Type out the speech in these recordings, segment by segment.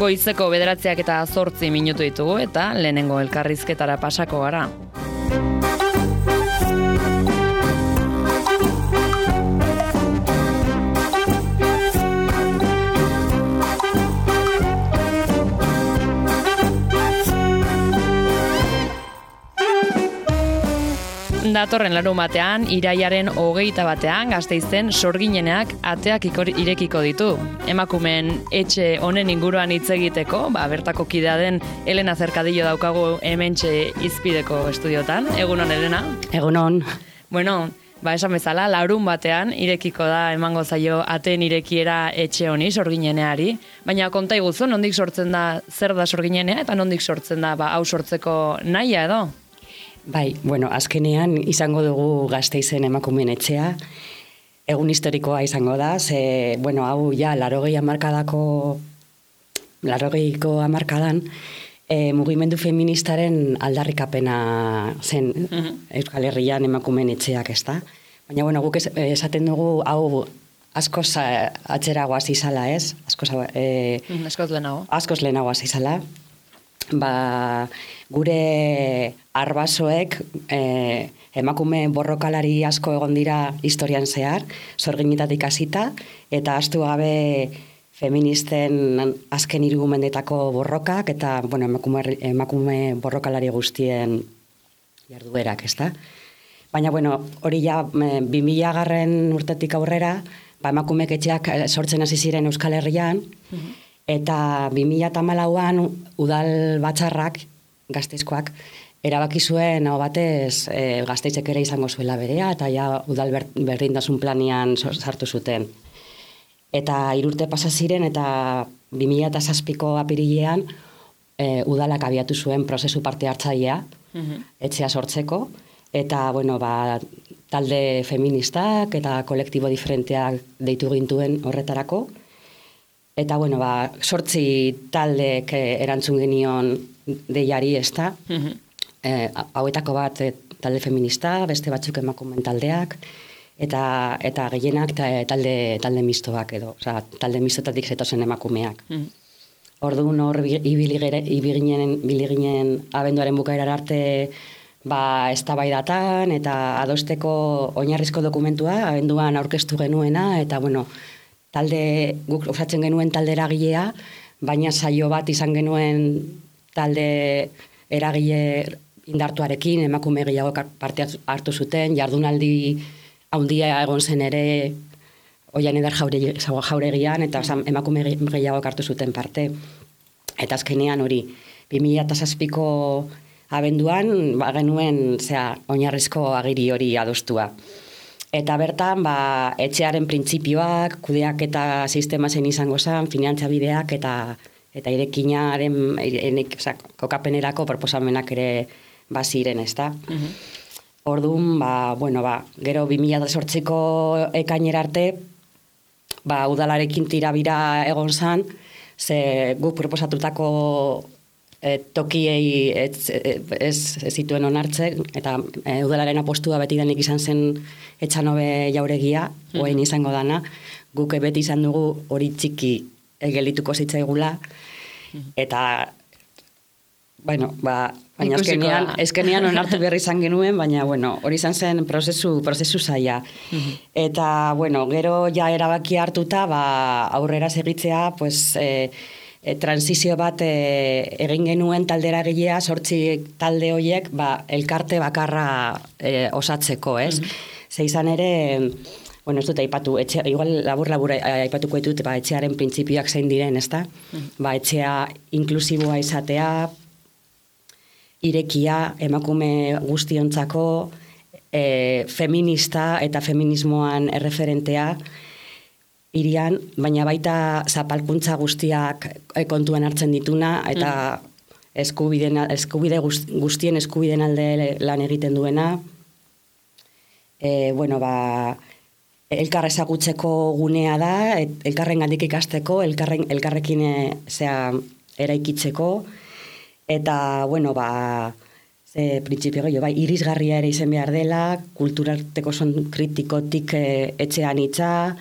Goizeko 9:08 minutu ditugu eta lehenengo elkarrizketara pasako gara. Datorren larunbatean, iraiaren 21 Gasteizen Sorgineneak ateak irekiko ditu. Emakumeen etxe honen inguruan hitz egiteko, bertako kidea den Elena Zerkadillo daukagu hementxe Izpideko estudiotan. Egunon, Elena? Egunon. Bueno, esan bezala, larunbatean irekiko da emango zaio ateen irekiera etxe honi, Sorgineneari. Baina konta iguzu, nondik sortzen da, zer da Sorginenea eta nondik sortzen da, hau sortzeko nahia edo? Bai, azkenean izango dugu Gasteizen emakumeen etxea. Egun historikoa izango da, hau ja, 80ko hamarkadan mugimendu feministaren aldarrikapena zen Euskal Herrian emakumeen etxeak, ezta? Baina, guk esaten dugu, hau askoz atzerago hasi zala, ez? Askoz lehenago. Askoz lehenago hasi zala. Gure arbasoek emakume borrokalari asko egon dira historian zehar, sorginetatik hasita, eta ahaztu gabe feministen azken 3 mendetako borrokak, eta emakume borrokalari guztien jarduerak, ezta? Baina, hori ja 2000 urtetik aurrera, emakumeek etxeak sortzen hasi ziren Euskal Herrian, eta 2014an udal batzarrak, Gasteizkoak, erabaki zuen hau batez Gasteizek ere izango zuela berea, eta ja udal berdintasun planian sartu zuten. Eta 3 urte pasa ziren, eta 2007ko apirilean udalak abiatu zuen prozesu parte hartzailea, etxea sortzeko, eta talde feministak eta kolektibo diferenteak deitu gintuen horretarako. Eta, 8 taldeek erantzun genion deiari, ezta? Hauetako bat talde feminista, beste batzuk emakumeen taldeak, eta gehienak talde mistoak edo, talde mistotatik zetozen emakumeak. Orduan hor ibili ginen abenduaren bukaerar arte eztabaidatan eta adosteko oinarrizko dokumentua abenduan aurkeztu genuena, eta guk osatzen genuen talde eragilea, baina saio bat izan genuen talde eragile indartuarekin, emakume gehiago parte hartu zuten, jardunaldi handia egon zen ere Oian Eder Jauregian, eta emakume gehiago hartu zuten parte. Eta azkenean hori, 2007ko abenduan, genuen oinarrizko agiri hori adostua. Eta bertan, etxearen printzipioak, kudeak eta sistema zen izango zen, finantzabideak eta irekinaren, kokapenerako proposamenak ere baziren, ezta? Orduan, gero 2008ko ekainera arte, udalarekin tirabira egon zen, ze guk proposatutako tokiei ez zituen onartzen, eta udalaren apostua beti denik izan zen Etxanobe Jauregia, oain izango dana, guk beti izan dugu hori txiki gelituko zitzaigula, eta baina azkenean onartu behar izan genuen, baina hori izan zen prozesu zaila. Eta gero ja erabaki hartuta aurrera segitzea, transizio bat egin genuen taldera gilea, 8 talde horiek elkarte bakarra osatzeko, ez? Ze izan ere, ez dut aipatu, igual labur aipatuko ditut, etxearen printzipioak zein diren, ezta? Etxea inklusiboa izatea, irekia, emakume guztiontzako, feminista eta feminismoan erreferentea, irian, baina baita zapalkuntza guztiak kontuan hartzen dituna, eta eskubide guztien eskubideen alde lan egiten duena, elkar ezagutzeko gunea da, elkarren gandik ikasteko, elkarrekin eraikitzeko, eta, printzipio gehiago, irisgarria ere izan behar dela, kulturarteko son kritikotik etxean itza,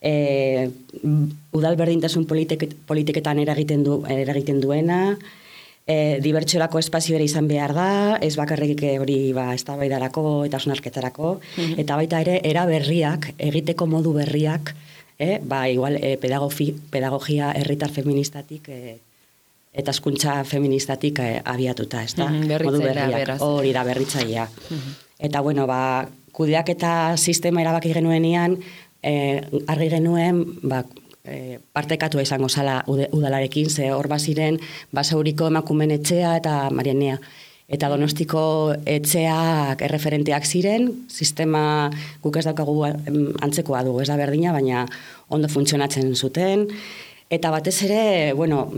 udal berdintasun politiketan eragiten duena, dibertsiorako espazio ere izan behar da, ez bakarrik hori eztabaidarako eta hausnarketarako, eta baita ere era berriak, egiteko modu berriak, igual pedagogia herritar feministatik eta hezkuntza feministatik abiatuta, ez da? Modu berriak, hori da berritzailea. Eta bueno, kudeaketa sistema erabaki genuenean, argi genuen, partekatua izango zala udalarekin, ze hor baziren Basauriko emakumeen etxea eta Marianea. Eta Donostiko etxeak erreferenteak ziren, sistema guk ez daukagu antzekoa dugu, ez da berdina, baina ondo funtzionatzen zuten. Eta batez ere, bueno,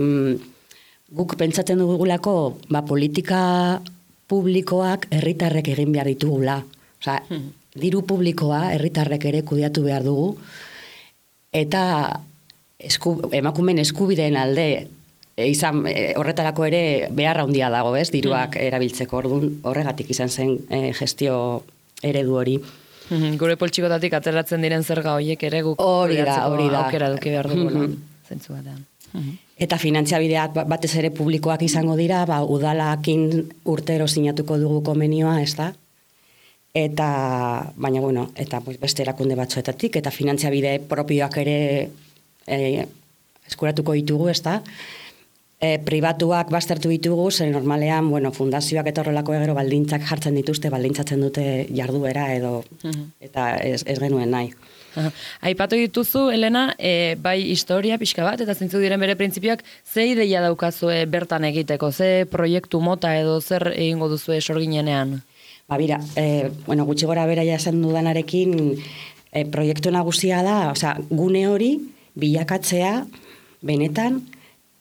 guk pentsatzen dugulako, politika publikoak herritarrek egin behar ditugula. Osea, diru publikoa herritarrek ere kudeatu behar dugu, eta emakumeen eskubideen alde horretarako ere beharra handia dago, ez, diruak erabiltzeko, orduan horregatik izan zen gestio eredu hori. Gure poltsikotatik ateratzen diren zerga horiek ere guk aukera duki behar dugula, zentzu batean. Eta finantziabideak batez ere publikoak izango dira, udalakin urtero sinatuko dugu konbenioa, ez da? Baina, bueno, eta beste erakunde batzuetatik, eta finantziabide propioak ere eskuratuko ditugu, ez da? Pribatuak baztertu ditugu, zen normalean, bueno, fundazioak eta horrelako gero baldintzak jartzen dituzte, baldintzatzen dute jarduera edo, eta ez genuen nahi. Aipatu dituzu, Elena, bai historia pixka bat, eta zintzu diren bere printzipioak, ze ideia daukazue bertan egiteko, ze proiektu mota edo zer egingo duzue sorginenean? Bira, bueno, gutxi gora bera esan dudanarekin, proiektu nagusia da, osea, gune hori bilakatzea benetan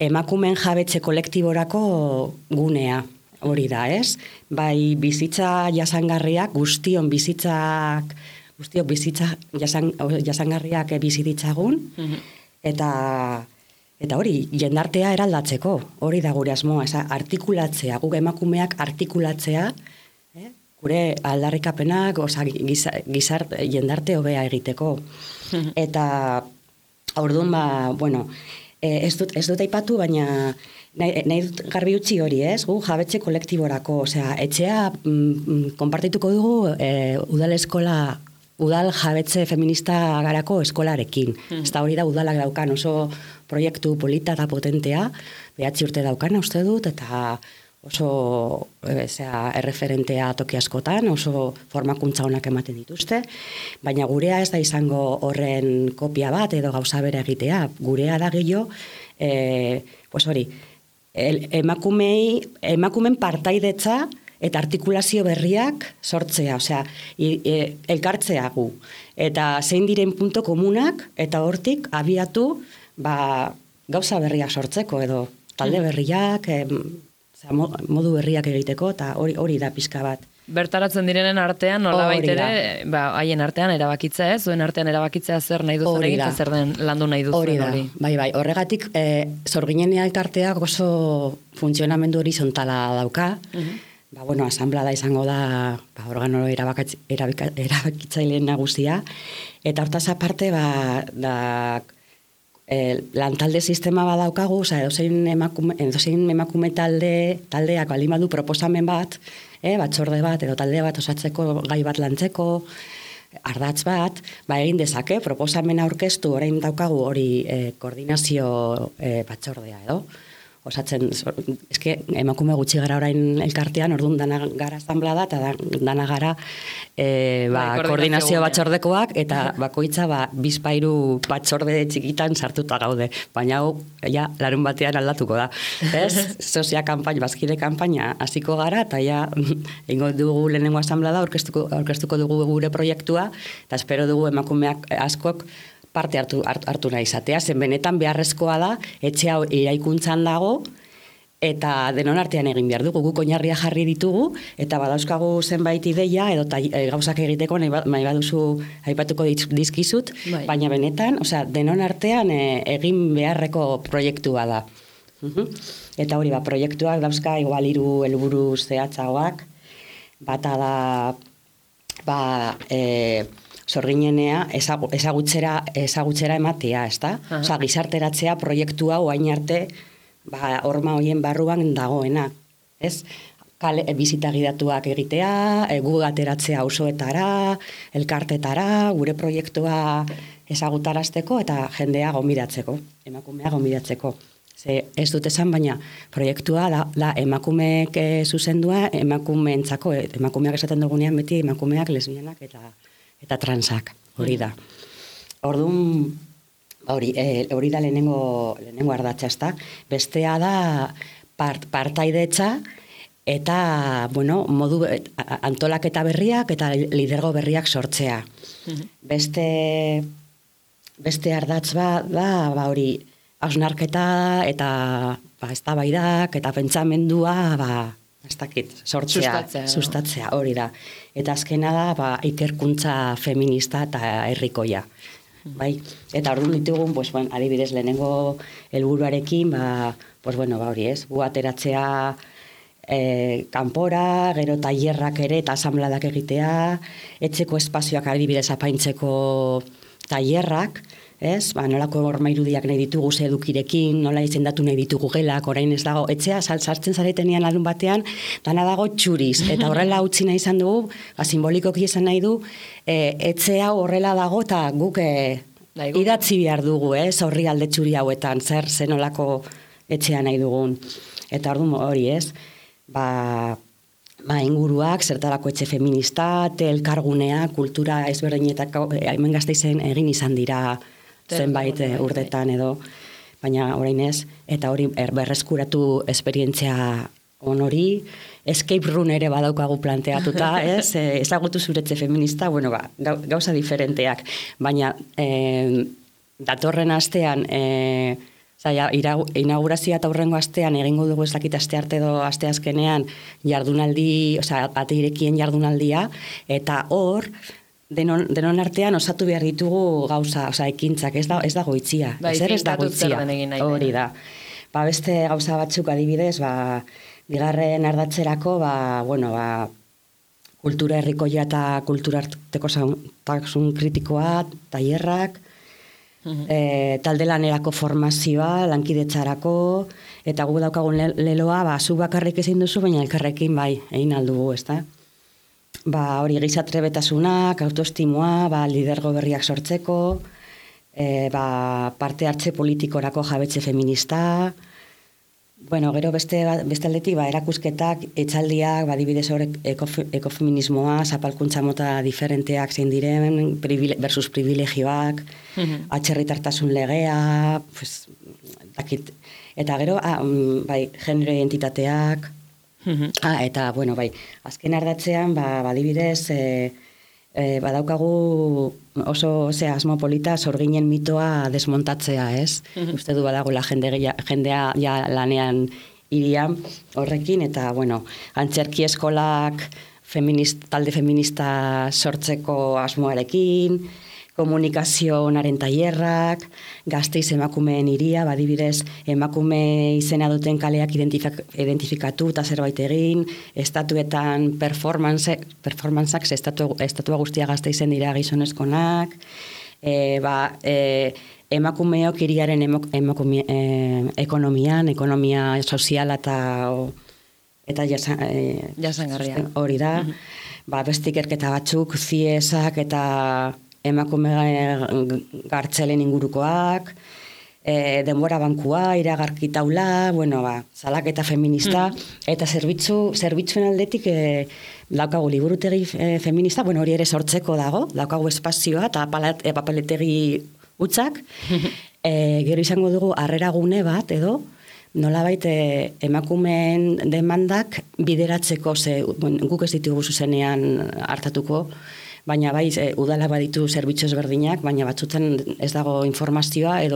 emakumeen jabetze kolektiborako gunea hori da, ez? Bai bizitza jasangarriak, guztiok bizitza jasangarriak bizititzagun, eta hori, jendartea eraldatzeko, hori da gure asmoa, artikulatzea, guk emakumeak artikulatzea, gure aldarrikapenak, jendarte hobea egiteko. Eta orduan, bueno, ez dut aipatu, baina nahi dut garbi utzi hori, ez? Gu jabetze kolektiborako, osea, etxea konpartituko dugu udal jabetze feminista garako eskolarekin. Ez da hori da udalak daukan oso proiektu polita eta potentea, 9 urte daukana uste dut, eta oso erreferentea toki askotan, oso formakuntza honak ematen dituzte, baina gurea ez da izango horren kopia bat edo gauza bere egitea. Gurea da gehiago, pues hori, emakumen partaidetza eta artikulazio berriak sortzea, osea, elkartzea gu. Eta zein diren punto komunak, eta hortik abiatu gauza berriak sortzeko, edo talde berriak, modu berriak egiteko, eta hori da pixka bat. Bertaratzen direnen artean, nolabait ere, haien artean erabakitza ez, zuen artean erabakitzea zer nahi duzen egin, zer den landu nahi duzen hori. Bai, horregatik, sorginen elkarteak oso funtzionamendu horizontala dauka, bueno, asamblea da izango da organo erabakitzaileen nagusia, eta hortaz aparte, lantalde sistema badaukagu, edozein emakume taldeak baldin badu proposamen bat, batzorde bat edo talde bat osatzeko gai bat lantzeko, ardatz bat, egin dezake, proposamen aurkeztu orain daukagu hori koordinazio batzordea edo. Osatzen, eske emakume gutxi gara orain elkartean, orduan dana gara asamblea eta dana gara koordinazio batzordekoak, eta bakoitza bizpairu batzorde txikitan sartuta gaude. Baina hau, larun batean aldatuko da. Ez? Sozia kanpaina, bazkide kanpaina hasiko gara, eta ingo dugu lehenengo asamblea da, aurkeztuko dugu gure proiektua, eta espero dugu emakumeak askok parte hartu nahi izatea, zen benetan beharrezkoa da, etxe hau iraikuntzan dago, eta denon artean egin behar dugu, guk oinarria jarri ditugu, eta badauzkagu zenbait ideia, edo gauzak egiteko nahi baduzu aipatuko dizkizut, baina benetan, denon artean egin beharreko proiektua da. Eta hori, proiektuak dauzka igual 3 helburu zehatzagoak, bata da sorginenea ezagutzera ematea, ezta? Osea, gizarteratzea proiektua orain arte horma hoien barruan dagoena, ez? Bizita gidatuak egitea, gu ateratzea auzoetara, elkartetara, gure proiektua ezagutarazteko eta jendea gonbidatzeko, emakumea gonbidatzeko. Ez dut esan, baina proiektua da emakumeek zuzendua emakumeentzako, emakumeak esaten dugunean beti emakumeak, lesbianak eta transak, hori da. Orduan, hori da lehenengo ardatza, ezta? Bestea da partaidetza eta, modu antolaketa berriak eta lidergo berriak sortzea. Beste ardatz da hori, hausnarketa eta eztabaidak eta pentsamendua sustatzea, hori da. Eta azkena da ikerkuntza feminista eta herrikoia. Bai? Eta orduan ditugun, adibidez lehenengo helburuarekin, hori ez, gu ateratzea kanpora, gero tailerrak ere eta asanbladak egitea, etxeko espazioak adibidez apaintzeko tailerrak, ez? Nolako horma irudiak nahi ditugu ze edukirekin, nola izendatu nahi ditugu gelak, orain ez dago, etxea sartzen zaretenean larun batean, dana dago txuriz, eta horrela utzi nahi izan dugu, simbolikoki esan nahi du, etxea horrela dago, eta guk idatzi behar dugu, ez? Horri alde txuri hauetan, zer nolako etxea nahi dugun. Eta orduan hori, ez? Inguruak, zertarako etxe feminista, elkargunea, kultura ezberdinetako, hemen Gasteizen egin izan dira zenbait urtetan edo, baina orain ez, eta hori berreskuratu esperientzia hori, escape room ere badaukagu planteatuta, ez? Ezagutu zure etxe feminista, gauza diferenteak, baina datorren astean, inaugurazioa eta hurrengo astean egingo dugu ez dakit astearte edo asteazkenean jardunaldi, ate irekien jardunaldia, eta hor, denon artean osatu behar ditugu gauza, ekintzak, ez dago itzia. Ez dago itzia, hori da. Beste gauza batzuk adibidez, bigarren ardatzerako, kultura herrikoia eta kultura artekotasun kritikoa, tailerrak, talde lanerako formazioa, lankidetzarako, eta gu daukagun leloa, zu bakarrik ezin duzu, baina elkarrekin egin aldugu, ez da? Hori gizatrebetasunak, autoestimoa, lidergo berriak sortzeko, parte hartze politikorako jabetze feminista, gero beste aldetik, erakusketak, etxaldiak, adibidez horrek ekofeminismoa, zapalkuntza mota diferenteak zein diren, versus privilegioak, atzerritartasun legea, eta gero, genero identitateak, eta, azken ardatzean, adibidez, badaukagu oso asmo polita sorginen mitoa desmontatzea, ez? Uste du badagoela jendea lanean irian horrekin, eta, antzerki eskolak talde feminista sortzeko asmoarekin, komunikazionaren tailerrak, Gasteiz emakumeen hiria, adibidez emakume izena duten kaleak identifikatu eta zerbait egin, estatuetan performantzak, estatua guztia Gasteizen dira gizonezkonak, emakumeok hiriaren ekonomia soziala eta jasangarria. Hori da, beste ikerketa batzuk, ziesak eta emakume gartzelen ingurukoak, denbora bankua, iragarki taula, salaketa feminista, eta zerbitzuen aldetik daukagu liburutegi feminista, hori ere sortzeko dago, daukagu espazioa eta papeletegi utzak, gero izango dugu harrera gune bat edo, nolabait emakumeen demandak bideratzeko, guk ez ditugu zuzenean hartatuko, baina udala baditu zerbitzu ezberdinak, baina batzutan ez dago informazioa, edo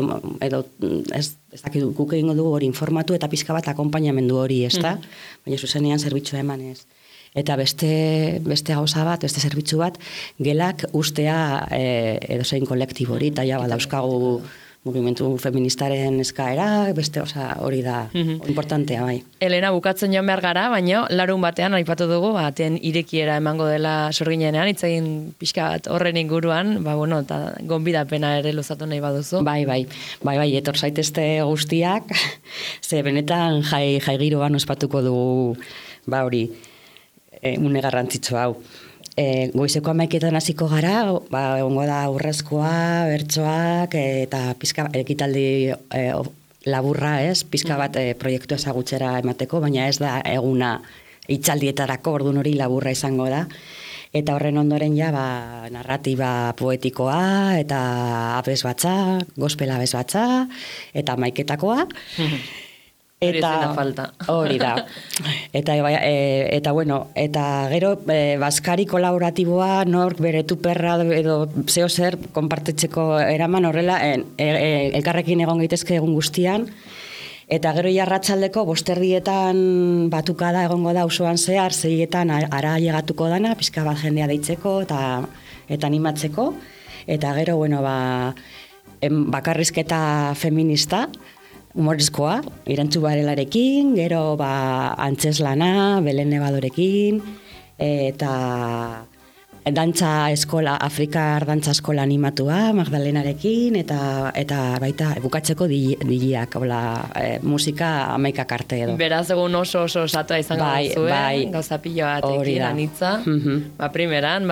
ez dakit guk egingo dugu hori informatu eta pizka bat akonpainamendu hori, ez da? Baina zuzenean zerbitzua eman ez. Eta beste gauza bat, beste zerbitzu bat, gelak ustea edozein kolektibori, eta dauzkagu mugimendu feministaren eskaera, beste, hori da importantea, bai. Elena, bukatzen joan behar gara, baina larun batean aipatu dugu, aten irekiera emango dela sorginenean, itzegin pixka bat horren inguruan, eta gonbidapena ere luzatu nahi baduzu. Bai, etor zaitezte guztiak, ze benetan jai giroan ospatuko dugu, hori, une garrantzitsu hau. Goizeko 11etan hasiko gara, egongo da urrezkoa, bertsoak, eta pizka ekitaldi laburra, pizka bat proiektu ezagutzera emateko, baina ez da eguna hitzaldietarako, orduan hori laburra izango da. Eta horren ondoren narratiba poetikoa, eta abesbatza, gospel abesbatza, eta 11etakoa. Eta falta. Hori da. Eta gero baskari kolaboratiboa nork bere tuperra edo zeo zer konpartitzeko eraman horrela elkarrekin egon gaitezke egun guztian. Eta gero jarratzaldeko 5:00 batukada egongo da auzoan zehar, 6:00 ara llegatuko dana, pizka bat jendea deitzeko eta animatzeko. Eta gero bakarrizketa feminista, humorezkoa, Irantzu Barelarekin, gero antzeslana, Belen Nebadorekin, eta dantza eskola, Afrikar dantza eskola animatua, Magdalenarekin, eta baita bukatzeko digiak, musika 11 arte edo. Beraz, egun oso osatua izango duzuen, gauza pilo batekin, anitza. Primeran,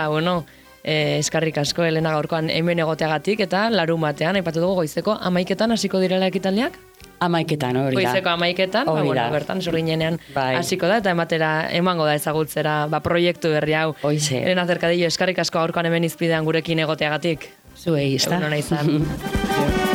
eskarrik asko, Elena, gaurkoan hemen egoteagatik, eta larun batean, aipatu dugu goizeko 11etan hasiko direla ekitaldiak? 11etan, hori da. Goizeko 11etan, bertan sorginenean hasiko da, eta emango da ezagutzera proiektu berri hau. Elena Cercadillo, eskarrik asko gaurkoan hemen izpidean gurekin egoteagatik. Zuei, ezta? Egun hona izan.